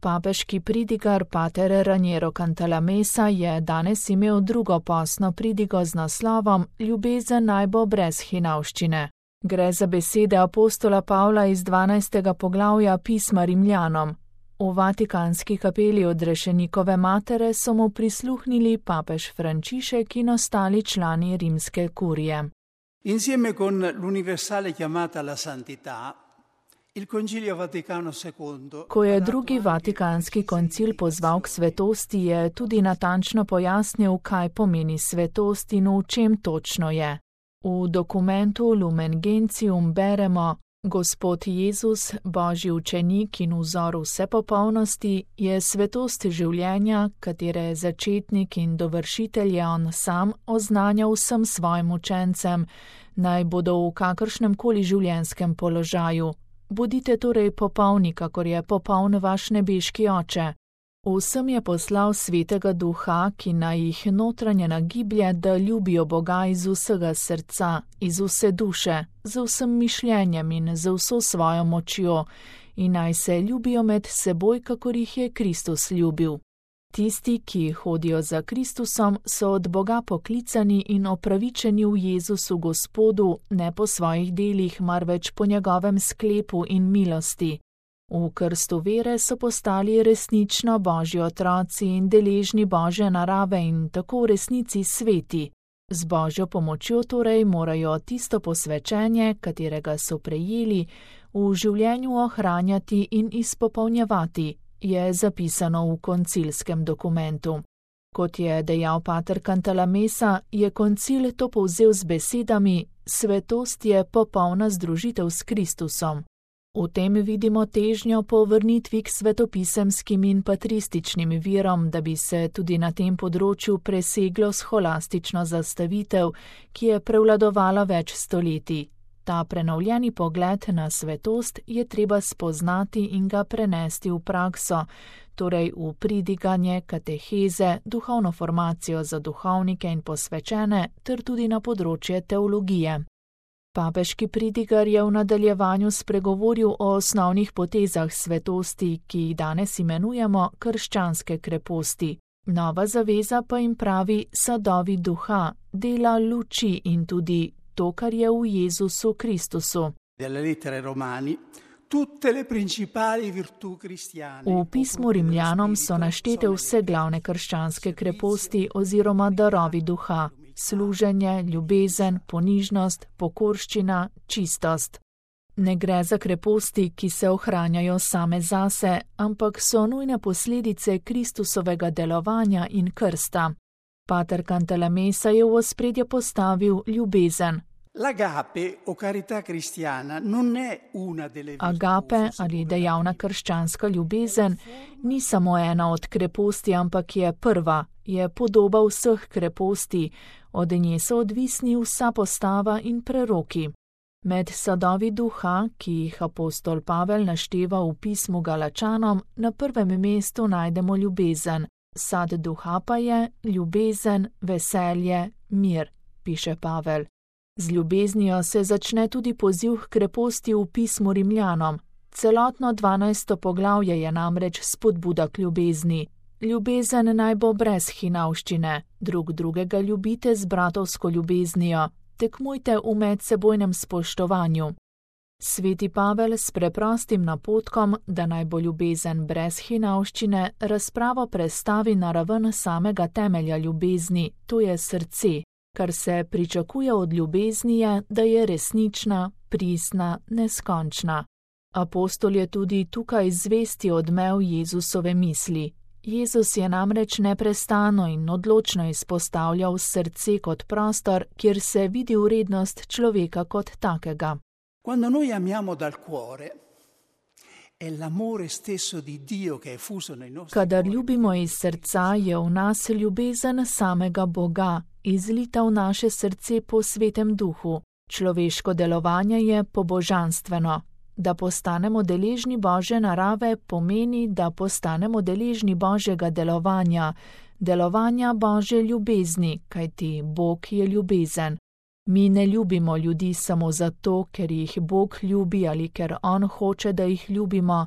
Papeški pridigar pater Raniero Cantalamessa je danes imel drugo postno pridigo z naslovom Ljubezen naj bo brez hinavščine. Gre za besede apostola Pavla iz 12. poglavja pisma Rimljanom. V Vatikanski kapeli odrešenikove matere so mu prisluhnili papež Frančišek in ostali člani rimske kurije. Insieme con l'universale chiamata alla santità, il Concilio Vaticano II. Ko je drugi Vatikanski koncil pozval k svetosti, je tudi natančno pojasnil, kaj pomeni svetost in v čem točno je. V dokumentu Lumen Gentium beremo: Gospod Jezus, Božji učenik in vzor vse popolnosti, je svetost življenja, katere začetnik in dovršitelj je on sam, oznanjal vsem svojim učencem, naj bodo v kakršnem koli življenjskem položaju. Bodite torej popolni, kakor je popoln vaš nebeški oče. Vsem je poslal svetega duha, ki naj jih notranje nagiblje, da ljubijo Boga iz vsega srca, iz vse duše, z vsem mišljenjem in z vso svojo močjo, in naj se ljubijo med seboj, kakor jih je Kristus ljubil. Tisti, ki hodijo za Kristusom, so od Boga poklicani in opravičeni v Jezusu Gospodu, ne po svojih delih, marveč po njegovem sklepu in milosti. V krstu vere so postali resnično Božji otroci in deležni Božje narave in tako v resnici sveti. Z Božjo pomočjo torej morajo tisto posvečenje, katerega so prejeli, v življenju ohranjati in izpopolnjevati, je zapisano v koncilskem dokumentu. Kot je dejal pater Cantalamessa, je koncil to povzel z besedami: svetost je popolna združitev s Kristusom. V tem vidimo težnjo po vrnitvi k svetopisemskim in patrističnim virom, da bi se tudi na tem področju preseglo scholastično zastavitev, ki je prevladovala več stoletij. Ta prenovljeni pogled na svetost je treba spoznati in ga prenesti v prakso, torej v pridiganje, kateheze, duhovno formacijo za duhovnike in posvečene, ter tudi na področje teologije. Papeški pridigar je v nadaljevanju spregovoril o osnovnih potezah svetosti, ki jih danes imenujemo krščanske kreposti. Nova zaveza pa jim pravi sadovi duha, dela luči in tudi to, kar je v Jezusu Kristusu. V pismu Rimljanom so naštete vse glavne krščanske kreposti oziroma darovi duha: služenje, ljubezen, ponižnost, pokorščina, čistost. Ne gre za kreposti, ki se ohranjajo same zase, ampak so nujne posledice Kristusovega delovanja in krsta. Pater Cantalamessa je v ospredje postavil ljubezen. Agape ali dejavna krščanska ljubezen ni samo ena od kreposti, ampak je prva, je podoba vseh kreposti, od nje so odvisni vsa postava in preroki. Med sadovi duha, ki jih apostol Pavel našteva v pismu Galačanom, na prvem mestu najdemo ljubezen. Sad duha pa je ljubezen, veselje, mir, piše Pavel. Z ljubeznijo se začne tudi poziv k kreposti v pismu Rimljanom. Celotno 12. poglavje je namreč spodbuda k ljubezni. Ljubezen naj bo brez hinavščine, drug drugega ljubite z bratovsko ljubeznijo, tekmujte v medsebojnem spoštovanju. Sveti Pavel s preprostim napotkom, da naj bo ljubezen brez hinavščine, razpravo prestavi na raven samega temelja ljubezni, to je srce. Kar se pričakuje od ljubezni je, da je resnična, pristna, neskončna. Apostol je tudi tukaj zvesti odmev Jezusove misli. Jezus je namreč neprestano in odločno izpostavljal srce kot prostor, kjer se vidi vrednost človeka kot takega. Quando noi amiamo dal cuore, è l'amore stesso di Dio che è fuso nei nostri cuori. Kadar ljubimo iz srca, je v nas ljubezen samega Boga, izlita v naše srce po svetem duhu. Človeško delovanje je pobožanstveno. Da postanemo deležni Božje narave pomeni, da postanemo deležni Božjega delovanja, delovanja Božje ljubezni, kajti Bog je ljubezen. Mi ne ljubimo ljudi samo zato, ker jih Bog ljubi ali ker On hoče, da jih ljubimo,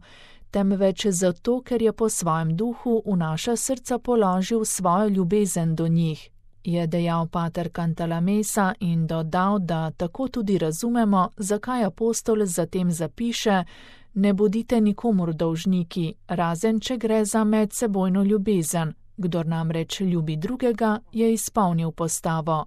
temveč zato, ker je po svojem duhu v naša srca položil svojo ljubezen do njih, je dejal pater Cantalamessa in dodal, da tako tudi razumemo, zakaj apostol zatem zapiše: ne bodite nikomur dolžniki, razen če gre za medsebojno ljubezen. Kdor namreč ljubi drugega, je izpolnil postavo: